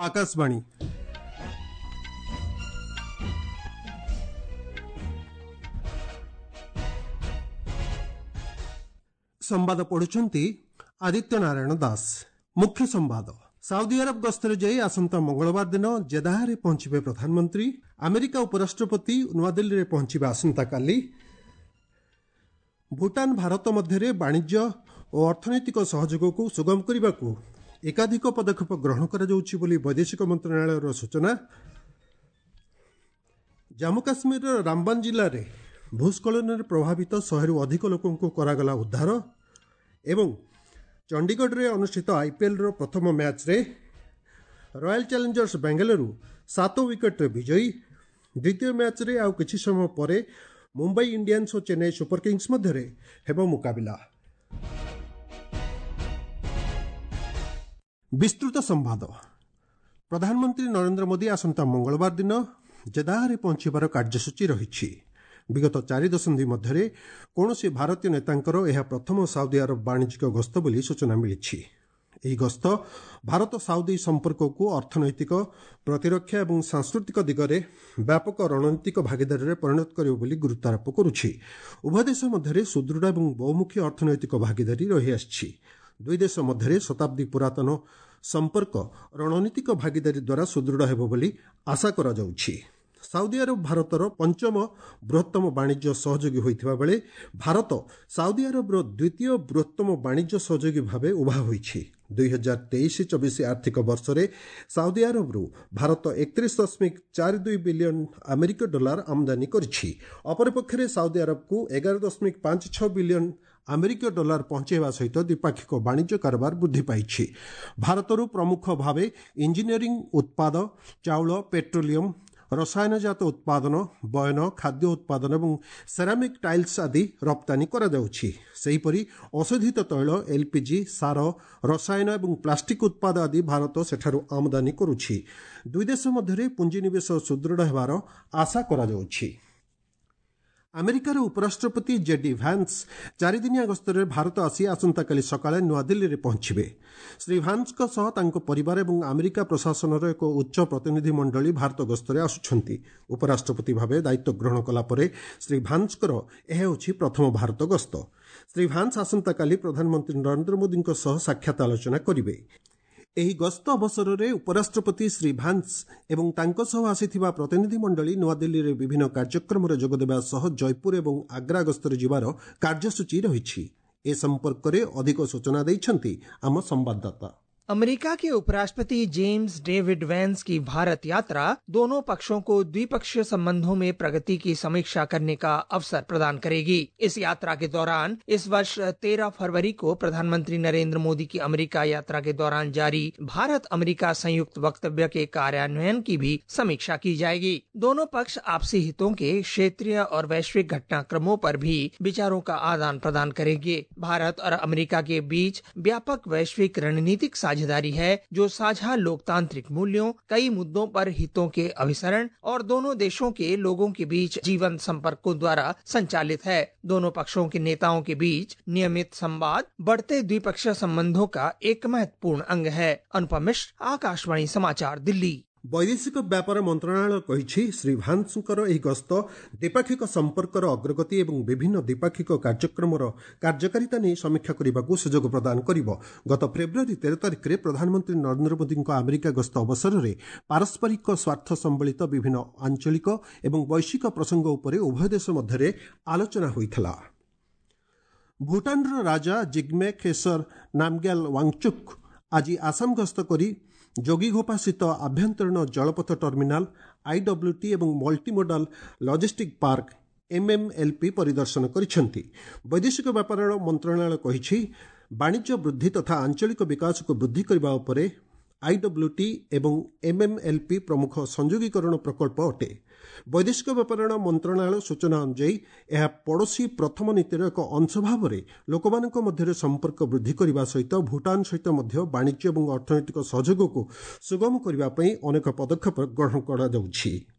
ଆକାଶବାଣୀ। ସମ୍ବାଦ ପଢୁଛନ୍ତି ଆଦିତ୍ୟ ନାରାୟଣ ଦାସ। ମୁଖ୍ୟ ସମ୍ବାଦ। ସାଉଦି ଆରବ ଗସ୍ତରେ ଯାଇ ଆସନ୍ତା ମଙ୍ଗଳବାର ଦିନ ଜେଦାହାରେ ପହଞ୍ଚିବେ ପ୍ରଧାନମନ୍ତ୍ରୀ। ଆମେରିକା ଉପରାଷ୍ଟ୍ରପତି ନୂଆଦିଲ୍ଲୀରେ ପହଞ୍ଚିବେ ଆସନ୍ତାକାଲି। ଭୁଟାନ ଭାରତ ମଧ୍ୟରେ ବାଣିଜ୍ୟ ଓ ଅର୍ଥନୈତିକ ସହଯୋଗକୁ ସୁଗମ କରିବାକୁ ଏକାଧିକ ପଦକ୍ଷେପ ଗ୍ରହଣ କରାଯାଉଛି ବୋଲି ବୈଦେଶିକ ମନ୍ତ୍ରଣାଳୟର ସୂଚନା। ଜାମ୍ମୁ କାଶ୍ମୀରର ରାମବାନ ଜିଲ୍ଲାରେ ଭୂସ୍ଖଳନରେ ପ୍ରଭାବିତ 100ରୁ ଅଧିକ ଲୋକଙ୍କୁ କରାଗଲା ଉଦ୍ଧାର। ଏବଂ ଚଣ୍ଡିଗଡ଼ରେ ଅନୁଷ୍ଠିତ ଆଇପିଏଲ୍ର ପ୍ରଥମ ମ୍ୟାଚ୍ରେ ରୟାଲ ଚ୍ୟାଲେଞ୍ଜର୍ସ ବେଙ୍ଗାଲୁରୁ 7 ୱିକେଟ୍ରେ ବିଜୟୀ। ଦ୍ୱିତୀୟ ମ୍ୟାଚ୍ରେ ଆଉ କିଛି ସମୟ ପରେ ମୁମ୍ବାଇ ଇଣ୍ଡିଆନ୍ସ ଓ ଚେନ୍ନାଇ ସୁପର କିଙ୍ଗସ୍ ମଧ୍ୟରେ ହେବ ମୁକାବିଲା। ବିସ୍ତୃତ ସମ୍ବାଦ। ପ୍ରଧାନମନ୍ତ୍ରୀ ନରେନ୍ଦ୍ର ମୋଦି ଆସନ୍ତା ମଙ୍ଗଳବାର ଦିନ ଜେଦାହାରେ ପହଞ୍ଚିବାର କାର୍ଯ୍ୟସୂଚୀ ରହିଛି। ବିଗତ 4 ଦଶନ୍ଧି ମଧ୍ୟରେ କୌଣସି ଭାରତୀୟ ନେତାଙ୍କର ଏହା ପ୍ରଥମ ସାଉଦି ଆରବ ବାଣିଜ୍ୟିକ ଗସ୍ତ ବୋଲି ସୂଚନା ମିଳିଛି। ଏହି ଗସ୍ତ ଭାରତ ସାଉଦି ସମ୍ପର୍କକୁ ଅର୍ଥନୈତିକ, ପ୍ରତିରକ୍ଷା ଏବଂ ସାଂସ୍କୃତିକ ଦିଗରେ ବ୍ୟାପକ ରଣନୀତିକ ଭାଗିଦାରୀରେ ପରିଣତ କରିବ ବୋଲି ଗୁରୁତ୍ୱାରୋପ କରୁଛି। ଉଭୟ ଦେଶ ମଧ୍ୟରେ ସୁଦୃଢ଼ ଏବଂ ବହୁମୁଖୀ ଅର୍ଥନୈତିକ ଭାଗିଦାରୀ ରହିଆସିଛି। ଦୁଇ ଦେଶ ମଧ୍ୟରେ ଶତାବ୍ଦୀ ପୁରାତନ ସମ୍ପର୍କ ରଣନୀତିକ ଭାଗିଦାରୀ ଦ୍ୱାରା ସୁଦୃଢ଼ ହେବ ବୋଲି ଆଶା କରାଯାଉଛି। ସାଉଦି ଆରବ ଭାରତର ପଞ୍ଚମ ବୃହତ୍ତମ ବାଣିଜ୍ୟ ସହଯୋଗୀ ହୋଇଥିବା ବେଳେ ଭାରତ ସାଉଦି ଆରବର ଦ୍ୱିତୀୟ ବୃହତ୍ତମ ବାଣିଜ୍ୟ ସହଯୋଗୀ ଭାବେ ଉଭା ହୋଇଛି। 2023-24 ଆର୍ଥିକ ବର୍ଷରେ ସାଉଦି ଆରବରୁ ଭାରତ 31.42 ବିଲିୟନ ଆମେରିକୀୟ ଡଲାର ଆମଦାନୀ କରିଛି। ଅପରପକ୍ଷରେ ସାଉଦି ଆରବକୁ 11.56 ବିଲିୟନ ଆମେରିକୀୟ ଡଲାର ପହଞ୍ଚାଇବା ସହିତ ଦ୍ୱିପାକ୍ଷିକ ବାଣିଜ୍ୟ କାରବାର ବୃଦ୍ଧି ପାଇଛି। ଭାରତରୁ ପ୍ରମୁଖ ଭାବେ ଇଞ୍ଜିନିୟରିଂ ଉତ୍ପାଦ, ଚାଉଳ, ପେଟ୍ରୋଲିୟମ, ରସାୟନଜାତ ଉତ୍ପାଦନ, ବୟନ, ଖାଦ୍ୟ ଉତ୍ପାଦନ ଏବଂ ସେରାମିକ୍ ଟାଇଲ୍ସ ଆଦି ରପ୍ତାନୀ କରାଯାଉଛି। ସେହିପରି ଅଶୋଧିତ ତୈଳ, ଏଲ୍ପିଜି, ସାର, ରସାୟନ ଏବଂ ପ୍ଲାଷ୍ଟିକ୍ ଉତ୍ପାଦ ଆଦି ଭାରତ ସେଠାରୁ ଆମଦାନୀ କରୁଛି। ଦୁଇ ଦେଶ ମଧ୍ୟରେ ପୁଞ୍ଜିନିବେଶ ସୁଦୃଢ଼ ହେବାର ଆଶା କରାଯାଉଛି। ଆମେରିକାର ଉପରାଷ୍ଟ୍ରପତି ଜେଡି ଭାନ୍ସ 4 ଦିନିଆ ଗସ୍ତରେ ଭାରତ ଆସି ଆସନ୍ତାକାଲି ସକାଳେ ନୂଆଦିଲ୍ଲୀରେ ପହଞ୍ଚିବେ। ଶ୍ରୀ ଭାନ୍ସଙ୍କ ସହ ତାଙ୍କ ପରିବାର ଏବଂ ଆମେରିକା ପ୍ରଶାସନର ଏକ ଉଚ୍ଚ ପ୍ରତିନିଧି ମଣ୍ଡଳୀ ଭାରତ ଗସ୍ତରେ ଆସୁଛନ୍ତି। ଉପରାଷ୍ଟ୍ରପତି ଭାବେ ଦାୟିତ୍ୱ ଗ୍ରହଣ କଲା ପରେ ଶ୍ରୀ ଭାନ୍ସଙ୍କର ଏହା ହେଉଛି ପ୍ରଥମ ଭାରତ ଗସ୍ତ। ଶ୍ରୀ ଭାନ୍ସ ଆସନ୍ତାକାଲି ପ୍ରଧାନମନ୍ତ୍ରୀ ନରେନ୍ଦ୍ର ମୋଦିଙ୍କ ସହ ସାକ୍ଷାତ ଆଲୋଚନା କରିବେ। ଏହି ଗସ୍ତ ଅବସରରେ ଉପରାଷ୍ଟ୍ରପତି ଶ୍ରୀ ଭାନ୍ସ ଏବଂ ତାଙ୍କ ସହ ଆସିଥିବା ପ୍ରତିନିଧି ମଣ୍ଡଳୀ ନୂଆଦିଲ୍ଲୀରେ ବିଭିନ୍ନ କାର୍ଯ୍ୟକ୍ରମରେ ଯୋଗଦେବା ସହ ଜୟପୁର ଏବଂ ଆଗ୍ରା ଗସ୍ତରେ ଯିବାର କାର୍ଯ୍ୟସୂଚୀ ରହିଛି। ଏ ସମ୍ପର୍କରେ ଅଧିକ ସୂଚନା ଦେଇଛନ୍ତି ଆମ ସମ୍ବାଦଦାତା। अमेरिका के उपराष्ट्रपति जेम्स डेविड वैंस की भारत यात्रा दोनों पक्षों को द्विपक्षीय संबंधों में प्रगति की समीक्षा करने का अवसर प्रदान करेगी। इस यात्रा के दौरान इस वर्ष 13 फरवरी को प्रधानमंत्री नरेंद्र मोदी की अमेरिका यात्रा के दौरान जारी भारत अमेरिका संयुक्त वक्तव्य के कार्यान्वयन की भी समीक्षा की जाएगी। दोनों पक्ष आपसी हितों के क्षेत्रीय और वैश्विक घटनाक्रमों पर भी विचारों का आदान प्रदान करेंगे। भारत और अमेरिका के बीच व्यापक वैश्विक रणनीतिक साझेदारी है, जो साझा लोकतांत्रिक मूल्यों, कई मुद्दों पर हितों के अभिसरण और दोनों देशों के लोगों के बीच जीवन संपर्कों द्वारा संचालित है। दोनों पक्षों के नेताओं के बीच नियमित संवाद बढ़ते द्विपक्षीय संबंधों का एक महत्वपूर्ण अंग है। अनुपम मिश्र, आकाशवाणी समाचार, दिल्ली। ବୈଦେଶିକ ବ୍ୟାପାର ମନ୍ତ୍ରଣାଳୟ କହିଛି, ଶ୍ରୀ ଭାନ୍ସଙ୍କର ଏହି ଗସ୍ତ ଦ୍ୱିପାକ୍ଷିକ ସମ୍ପର୍କର ଅଗ୍ରଗତି ଏବଂ ବିଭିନ୍ନ ଦ୍ୱିପାକ୍ଷିକ କାର୍ଯ୍ୟକ୍ରମର କାର୍ଯ୍ୟକାରିତା ନେଇ ସମୀକ୍ଷା କରିବାକୁ ସୁଯୋଗ ପ୍ରଦାନ କରିବ। ଗତ ଫେବୃଆରୀ 13 ତାରିଖରେ ପ୍ରଧାନମନ୍ତ୍ରୀ ନରେନ୍ଦ୍ର ମୋଦିଙ୍କ ଆମେରିକା ଗସ୍ତ ଅବସରରେ ପାରସ୍ପରିକ ସ୍ୱାର୍ଥ ସମ୍ବଳିତ ବିଭିନ୍ନ ଆଞ୍ଚଳିକ ଏବଂ ବୈଶ୍ୱିକ ପ୍ରସଙ୍ଗ ଉପରେ ଉଭୟ ଦେଶ ମଧ୍ୟରେ ଆଲୋଚନା ହୋଇଥିଲା। ଭୁଟାନର ରାଜା ଜିଗ୍ମେ ଖେସର ନାମଗ୍ୟାଲ ୱାଙ୍ଗଚୁକ୍ ଆଜି ଆସାମ ଗସ୍ତ କରି ଯୋଗୀଘୋପାସ୍ଥିତ ଆଭ୍ୟନ୍ତରୀଣ ଜଳପଥ ଟର୍ମିନାଲ ଆଇଡବ୍ଲ୍ୟୁଟି ଏବଂ ମଲ୍ଟିମୋଡାଲ ଲଜିଷ୍ଟିକ୍ ପାର୍କ ଏମ୍ଏମ୍ଏଲ୍ପି ପରିଦର୍ଶନ କରିଛନ୍ତି। ବୈଦେଶିକ ବ୍ୟାପାର ମନ୍ତ୍ରଣାଳୟ କହିଛି, ବାଣିଜ୍ୟ ବୃଦ୍ଧି ତଥା ଆଞ୍ଚଳିକ ବିକାଶକୁ ବୃଦ୍ଧି କରିବା ଉପରେ ଆଇଡବ୍ଲ୍ୟୁଟି ଏବଂ ଏମ୍ଏମ୍ଏଲ୍ପି ପ୍ରମୁଖ ସଂଯୋଗୀକରଣ ପ୍ରକଳ୍ପ ଅଟେ। ବୈଦେଶିକ ବ୍ୟାପାର ମନ୍ତ୍ରଣାଳୟ ସୂଚନା ଅନୁଯାୟୀ, ଏହା ପଡ଼ୋଶୀ ପ୍ରଥମ ନୀତିର ଏକ ଅଂଶ ଭାବରେ ଲୋକମାନଙ୍କ ମଧ୍ୟରେ ସମ୍ପର୍କ ବୃଦ୍ଧି କରିବା ସହିତ ଭୁଟାନ ସହିତ ମଧ୍ୟ ବାଣିଜ୍ୟ ଏବଂ ଅର୍ଥନୈତିକ ସହଯୋଗକୁ ସୁଗମ କରିବା ପାଇଁ ଅନେକ ପଦକ୍ଷେପ ଗ୍ରହଣ କରାଯାଉଛି।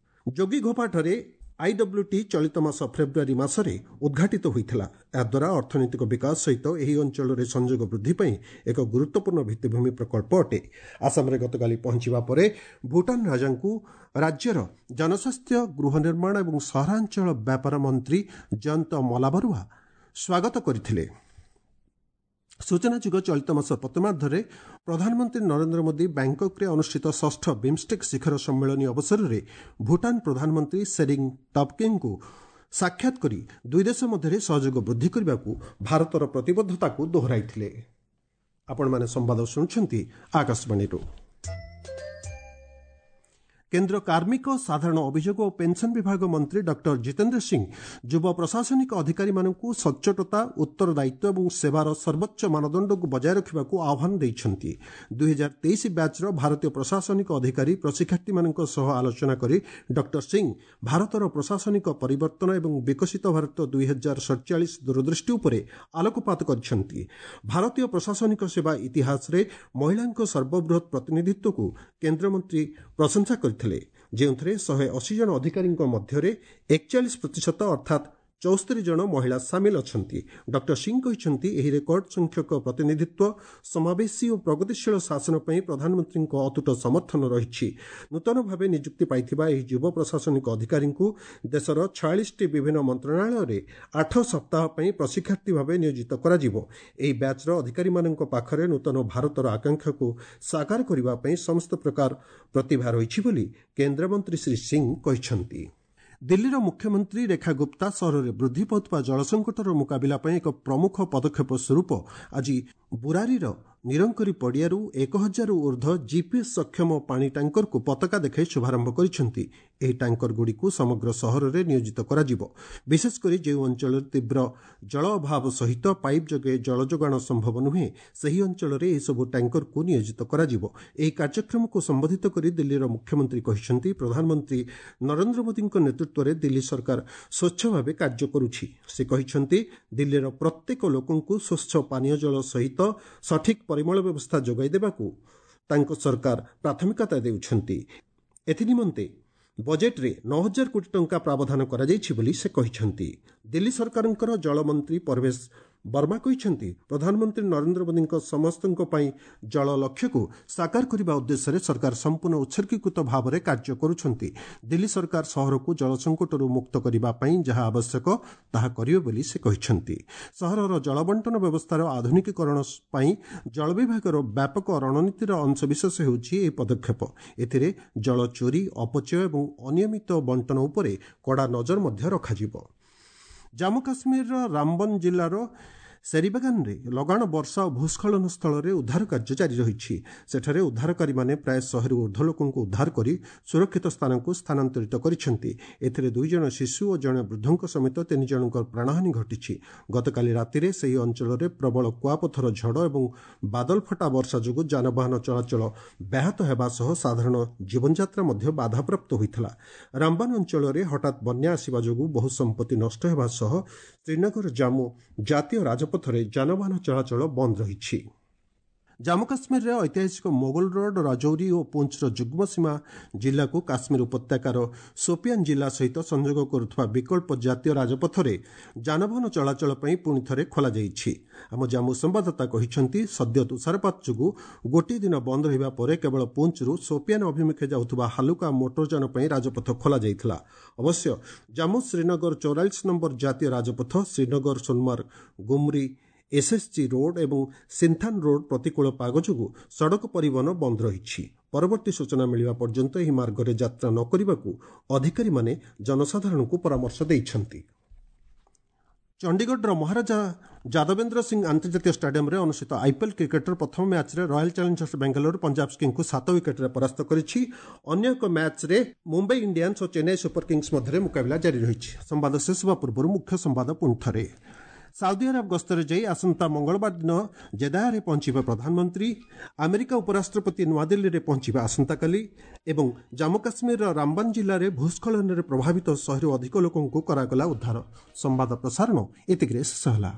ଯୋଗୀଘୋପାଠାରେ ଆଇଡବ୍ଲ୍ୟୁଟି ଚଳିତ ମାସ ଫେବୃଆରୀ ମାସରେ ଉଦ୍ଘାଟିତ ହୋଇଥିଲା। ଏହାଦ୍ୱାରା ଅର୍ଥନୈତିକ ବିକାଶ ସହିତ ଏହି ଅଞ୍ଚଳରେ ସଂଯୋଗ ବୃଦ୍ଧି ପାଇଁ ଏକ ଗୁରୁତ୍ୱପୂର୍ଣ୍ଣ ଭିତ୍ତିଭୂମି ପ୍ରକଳ୍ପ ଅଟେ। ଆସାମରେ ଗତକାଲି ପହଞ୍ଚିବା ପରେ ଭୁଟାନ ରାଜାଙ୍କୁ ରାଜ୍ୟର ଜନସ୍ୱାସ୍ଥ୍ୟ, ଗୃହ ନିର୍ମାଣ ଏବଂ ସହରାଞ୍ଚଳ ବ୍ୟାପାର ମନ୍ତ୍ରୀ ଜୟନ୍ତ ମଲାବରୁଆ ସ୍ୱାଗତ କରିଥିଲେ। ସୂଚନାଯୋଗ୍ୟ, ଚଳିତ ମାସ ପ୍ରଥମାର୍ଦ୍ଧରେ ପ୍ରଧାନମନ୍ତ୍ରୀ ନରେନ୍ଦ୍ର ମୋଦି ବ୍ୟାଙ୍କକ୍ରେ ଅନୁଷ୍ଠିତ ଷଷ୍ଠ ବିମ୍ଷ୍ଟେକ୍ ଶିଖର ସମ୍ମିଳନୀ ଅବସରରେ ଭୁଟାନ ପ୍ରଧାନମନ୍ତ୍ରୀ ସେରିଂ ଟବ୍ଗେଙ୍କୁ ସାକ୍ଷାତ କରି ଦୁଇ ଦେଶ ମଧ୍ୟରେ ସହଯୋଗ ବୃଦ୍ଧି କରିବାକୁ ଭାରତର ପ୍ରତିବଦ୍ଧତାକୁ ଦୋହରାଇଥିଲେ। ଆପଣମାନେ ସମ୍ବାଦ ଶୁଣୁଛନ୍ତି ଆକାଶବାଣୀରୁ। କେନ୍ଦ୍ର କାର୍ମିକ, ସାଧାରଣ ଅଭିଯୋଗ ଓ ପେନ୍ସନ୍ ବିଭାଗ ମନ୍ତ୍ରୀ ଡକ୍ଟର ଜିତେନ୍ଦ୍ର ସିଂ ଯୁବ ପ୍ରଶାସନିକ ଅଧିକାରୀମାନଙ୍କୁ ସଚ୍ଚୋଟତା, ଉତ୍ତରଦାୟିତ୍ୱ ଏବଂ ସେବାର ସର୍ବୋଚ୍ଚ ମାନଦଣ୍ଡକୁ ବଜାୟ ରଖିବାକୁ ଆହ୍ୱାନ ଦେଇଛନ୍ତି। 2023 ବ୍ୟାଚ୍ର ଭାରତୀୟ ପ୍ରଶାସନିକ ଅଧିକାରୀ ପ୍ରଶିକ୍ଷାର୍ଥୀମାନଙ୍କ ସହ ଆଲୋଚନା କରି ଡକ୍ଟର ସିଂ ଭାରତର ପ୍ରଶାସନିକ ପରିବର୍ତ୍ତନ ଏବଂ ବିକଶିତ ଭାରତ 2047 ଦୂରଦୃଷ୍ଟି ଉପରେ ଆଲୋକପାତ କରିଛନ୍ତି। ଭାରତୀୟ ପ୍ରଶାସନିକ ସେବା ଇତିହାସରେ ମହିଳାଙ୍କ ସର୍ବବୃହତ୍ ପ୍ରତିନିଧିତ୍ୱକୁ କେନ୍ଦ୍ରମନ୍ତ୍ରୀ ପ୍ରଶଂସା କରିଥିଲେ, ଯେଉଁଥିରେ 180 ଜଣ ଅଧିକାରୀଙ୍କ ମଧ୍ୟରେ 41% ଅର୍ଥାତ୍ 74 ଜଣ ମହିଳା ସାମିଲ ଅଛନ୍ତି। ଡକ୍ଟର ସିଂ କହିଛନ୍ତି, ଏହି ରେକର୍ଡ ସଂଖ୍ୟକ ପ୍ରତିନିଧିତ୍ୱ ସମାବେଶୀ ଓ ପ୍ରଗତିଶୀଳ ଶାସନ ପାଇଁ ପ୍ରଧାନମନ୍ତ୍ରୀଙ୍କ ଅତୁଟ ସମର୍ଥନ ରହିଛି। ନୂତନ ଭାବେ ନିଯୁକ୍ତି ପାଇଥିବା ଏହି ଯୁବ ପ୍ରଶାସନିକ ଅଧିକାରୀଙ୍କୁ ଦେଶର 46ଟି ବିଭିନ୍ନ ମନ୍ତ୍ରଣାଳୟରେ 8 ସପ୍ତାହ ପାଇଁ ପ୍ରଶିକ୍ଷାର୍ଥୀ ଭାବେ ନିୟୋଜିତ କରାଯିବ। ଏହି ବ୍ୟାଚ୍ର ଅଧିକାରୀମାନଙ୍କ ପାଖରେ ନୂତନ ଭାରତର ଆକାଂକ୍ଷାକୁ ସାକାର କରିବା ପାଇଁ ସମସ୍ତ ପ୍ରକାର ପ୍ରତିଭା ରହିଛି ବୋଲି କେନ୍ଦ୍ରମନ୍ତ୍ରୀ ଶ୍ରୀ ସିଂ କହିଛନ୍ତି। ଦିଲ୍ଲୀର ମୁଖ୍ୟମନ୍ତ୍ରୀ ରେଖା ଗୁପ୍ତା ସହରରେ ବୃଦ୍ଧି ପାଉଥିବା ଜଳସଙ୍କଟର ମୁକାବିଲା ପାଇଁ ଏକ ପ୍ରମୁଖ ପଦକ୍ଷେପ ସ୍ୱରୂପ ଆଜି ବୁରାରୀର ନିରଙ୍କରୀ ପଡ଼ିଆରୁ 1000ରୁ ଉର୍ଦ୍ଧ୍ୱ ଜିପିଏସ୍ ସକ୍ଷମ ପାଣି ଟ୍ୟାଙ୍କରକୁ ପତାକା ଦେଖାଇ ଶୁଭାରମ୍ଭ କରିଛନ୍ତି। ଏହି ଟ୍ୟାଙ୍କରଗୁଡ଼ିକୁ ସମଗ୍ର ସହରରେ ନିୟୋଜିତ କରାଯିବ। ବିଶେଷକରି ଯେଉଁ ଅଞ୍ଚଳରେ ତୀବ୍ର ଜଳ ଅଭାବ ସହିତ ପାଇପ୍ ଯୋଗେ ଜଳ ଯୋଗାଣ ସମ୍ଭବ ନୁହେଁ, ସେହି ଅଞ୍ଚଳରେ ଏହିସବୁ ଟ୍ୟାଙ୍କରକୁ ନିୟୋଜିତ କରାଯିବ। ଏହି କାର୍ଯ୍ୟକ୍ରମକୁ ସମ୍ବୋଧିତ କରି ଦିଲ୍ଲୀର ମୁଖ୍ୟମନ୍ତ୍ରୀ କହିଛନ୍ତି, ପ୍ରଧାନମନ୍ତ୍ରୀ ନରେନ୍ଦ୍ର ମୋଦିଙ୍କ ନେତୃତ୍ୱରେ ଦିଲ୍ଲୀ ସରକାର ସ୍ୱଚ୍ଛ ଭାବେ କାର୍ଯ୍ୟ କରୁଛି। ସେ କହିଛନ୍ତି, ଦିଲ୍ଲୀର ପ୍ରତ୍ୟେକ ଲୋକଙ୍କୁ ସ୍ୱଚ୍ଛ ପାନୀୟ ଜଳ ସହିତ ସଠିକ୍ ପରିମଳ ବ୍ୟବସ୍ଥା ଯୋଗାଇ ଦେବାକୁ ତାଙ୍କ ସରକାର ପ୍ରାଥମିକତା ଦେଉଛନ୍ତି। ଏଥିନିମନ୍ତେ ବଜେଟ୍ରେ 9,000 କୋଟି ଟଙ୍କା ପ୍ରାବଧାନ କରାଯାଇଛି ବୋଲି ସେ କହିଛନ୍ତି। ଦିଲ୍ଲୀ ସରକାରଙ୍କର ଜଳମନ୍ତ୍ରୀ ପରବେଶ ବର୍ମା କହିଛନ୍ତି, ପ୍ରଧାନମନ୍ତ୍ରୀ ନରେନ୍ଦ୍ର ମୋଦିଙ୍କ ସମସ୍ତଙ୍କ ପାଇଁ ଜଳ ଲକ୍ଷ୍ୟକୁ ସାକାର କରିବା ଉଦ୍ଦେଶ୍ୟରେ ସରକାର ସମ୍ପୂର୍ଣ୍ଣ ଉତ୍ସର୍ଗୀକୃତ ଭାବରେ କାର୍ଯ୍ୟ କରୁଛନ୍ତି। ଦିଲ୍ଲୀ ସରକାର ସହରକୁ ଜଳ ସଙ୍କଟରୁ ମୁକ୍ତ କରିବା ପାଇଁ ଯାହା ଆବଶ୍ୟକ ତାହା କରିବେ ବୋଲି ସେ କହିଛନ୍ତି। ସହରର ଜଳବଣ୍ଟନ ବ୍ୟବସ୍ଥାର ଆଧୁନିକୀକରଣ ପାଇଁ ଜଳ ବିଭାଗର ବ୍ୟାପକ ରଣନୀତିର ଅଂଶବିଶେଷ ହେଉଛି ଏହି ପଦକ୍ଷେପ। ଏଥିରେ ଜଳ ଚୋରି, ଅପଚୟ ଏବଂ ଅନିୟମିତ ବଣ୍ଟନ ଉପରେ କଡ଼ା ନଜର ମଧ୍ୟ ରଖାଯିବ। ଜାମ୍ମୁ କାଶ୍ମୀରର ରାମବନ ଜିଲ୍ଲାର ସେରିବାଗାନରେ ଲଗାଣ ବର୍ଷା ଓ ଭୂସ୍ଖଳନ ସ୍ଥଳରେ ଉଦ୍ଧାର କାର୍ଯ୍ୟ ଜାରି ରହିଛି। ସେଠାରେ ଉଦ୍ଧାରକାରୀମାନେ ପ୍ରାୟ 100ରୁ ଉର୍ଦ୍ଧ୍ୱ ଲୋକଙ୍କୁ ଉଦ୍ଧାର କରି ସୁରକ୍ଷିତ ସ୍ଥାନକୁ ସ୍ଥାନାନ୍ତରିତ କରିଛନ୍ତି। ଏଥିରେ 2 ଜଣ ଶିଶୁ ଓ ଜଣେ ବୃଦ୍ଧଙ୍କ ସମେତ 3 ଜଣଙ୍କ ପ୍ରାଣହାନି ଘଟିଛି। ଗତକାଲି ରାତିରେ ସେହି ଅଞ୍ଚଳରେ ପ୍ରବଳ କୁଆପଥର ଝଡ଼ ଏବଂ ବାଦଲଫଟା ବର୍ଷା ଯୋଗୁଁ ଯାନବାହନ ଚଳାଚଳ ବ୍ୟାହତ ହେବା ସହ ସାଧାରଣ ଜୀବନଯାତ୍ରା ମଧ୍ୟ ବାଧାପ୍ରାପ୍ତ ହୋଇଥିଲା। ରାମବାନ ଅଞ୍ଚଳରେ ହଠାତ୍ ବନ୍ୟା ଆସିବା ଯୋଗୁଁ ବହୁ ସମ୍ପତ୍ତି ନଷ୍ଟ ହେବା ସହ ଶ୍ରୀନଗର ଜାମ୍ମୁ ଜାତୀୟ ରାଜପଥରେ ଯାନବାହନ ଚଳାଚଳ ବନ୍ଦ ରହିଛି। ଜାମ୍ମୁ କାଶ୍ମୀରରେ ଐତିହାସିକ ମୋଗଲ ରୋଡ୍, ରାଜୌରୀ ଓ ପୁଞ୍ଚର ଯୁଗ୍ମ ସୀମା ଜିଲ୍ଲାକୁ କାଶ୍ମୀର ଉପତ୍ୟକାର ସୋପିଆନ୍ ଜିଲ୍ଲା ସହିତ ସଂଯୋଗ କରୁଥିବା ବିକଳ୍ପ ଜାତୀୟ ରାଜପଥରେ ଯାନବାହନ ଚଳାଚଳ ପାଇଁ ପୁଣି ଥରେ ଖୋଲାଯାଇଛି। ଆମ ଜାମ୍ମୁ ସମ୍ବାଦଦାତା କହିଛନ୍ତି, ସଦ୍ୟ ତୁଷାରପାତ ଯୋଗୁଁ ଗୋଟିଏ ଦିନ ବନ୍ଦ ରହିବା ପରେ କେବଳ ପୁଞ୍ଚରୁ ସୋପିଆନ୍ ଅଭିମୁଖେ ଯାଉଥିବା ହାଲୁକା ମୋଟରଯାନ ପାଇଁ ରାଜପଥ ଖୋଲାଯାଇଥିଲା। ଅବଶ୍ୟ ଜାମ୍ମୁ ଶ୍ରୀନଗର 44 ନମ୍ବର ଜାତୀୟ ରାଜପଥ, ଶ୍ରୀନଗର ସୋନମାର୍ଗ ଗୁମ୍ରି ଏସ୍ଏସ୍ଜି ରୋଡ୍ ଏବଂ ସିନ୍ଥାନ୍ ରୋଡ୍ ପ୍ରତିକୂଳ ପାଗ ଯୋଗୁଁ ସଡ଼କ ପରିବହନ ବନ୍ଦ ରହିଛି। ପରବର୍ତ୍ତୀ ସୂଚନା ମିଳିବା ପର୍ଯ୍ୟନ୍ତ ଏହି ମାର୍ଗରେ ଯାତ୍ରା ନ କରିବାକୁ ଅଧିକାରୀମାନେ ଜନସାଧାରଣଙ୍କୁ ପରାମର୍ଶ ଦେଇଛନ୍ତି। ଚଣ୍ଡିଗଡ଼ର ମହାରାଜା ଯାଦବେନ୍ଦ୍ର ସିଂ ଆନ୍ତର୍ଜାତୀୟ ଷ୍ଟାଡିୟମରେ ଅନୁଷ୍ଠିତ ଆଇପିଏଲ୍ କ୍ରିକେଟର ପ୍ରଥମ ମ୍ୟାଚ୍ରେ ରୟାଲ ଚ୍ୟାଲେଞ୍ଜର୍ସ ବାଙ୍ଗାଲୋର ପଞ୍ଜାବ କିଙ୍ଗକୁ 7 ୱିକେଟ୍ରେ ପରାସ୍ତ କରିଛି। ଅନ୍ୟ ଏକ ମ୍ୟାଚ୍ରେ ମୁମ୍ବାଇ ଇଣ୍ଡିଆନ୍ସ ଓ ଚେନ୍ନାଇ ସୁପର କିଙ୍ଗସ୍ ମଧ୍ୟରେ ମୁକାବିଲା ଜାରି ରହିଛି। ସମ୍ବାଦ ଶେଷ ହେବା ପୂର୍ବରୁ ମୁଖ୍ୟ ସମ୍ବାଦ ପୁଣି ଥରେ। ସାଉଦି ଆରବ ଗସ୍ତରେ ଯାଇ ଆସନ୍ତା ମଙ୍ଗଳବାର ଦିନ ଜେଦାହରେ ପହଞ୍ଚିବେ ପ୍ରଧାନମନ୍ତ୍ରୀ। ଆମେରିକା ଉପରାଷ୍ଟ୍ରପତି ନୂଆଦିଲ୍ଲୀରେ ପହଞ୍ଚିବେ ଆସନ୍ତାକାଲି। ଏବଂ ଜାମ୍ମୁ କାଶ୍ମୀରର ରାମବାନ ଜିଲ୍ଲାରେ ଭୂସ୍ଖଳନରେ ପ୍ରଭାବିତ 100ରୁ ଅଧିକ ଲୋକଙ୍କୁ କରାଗଲା ଉଦ୍ଧାର। ସମ୍ବାଦ ପ୍ରସାରଣ ଏତିକିରେ ଶେଷ ହେଲା।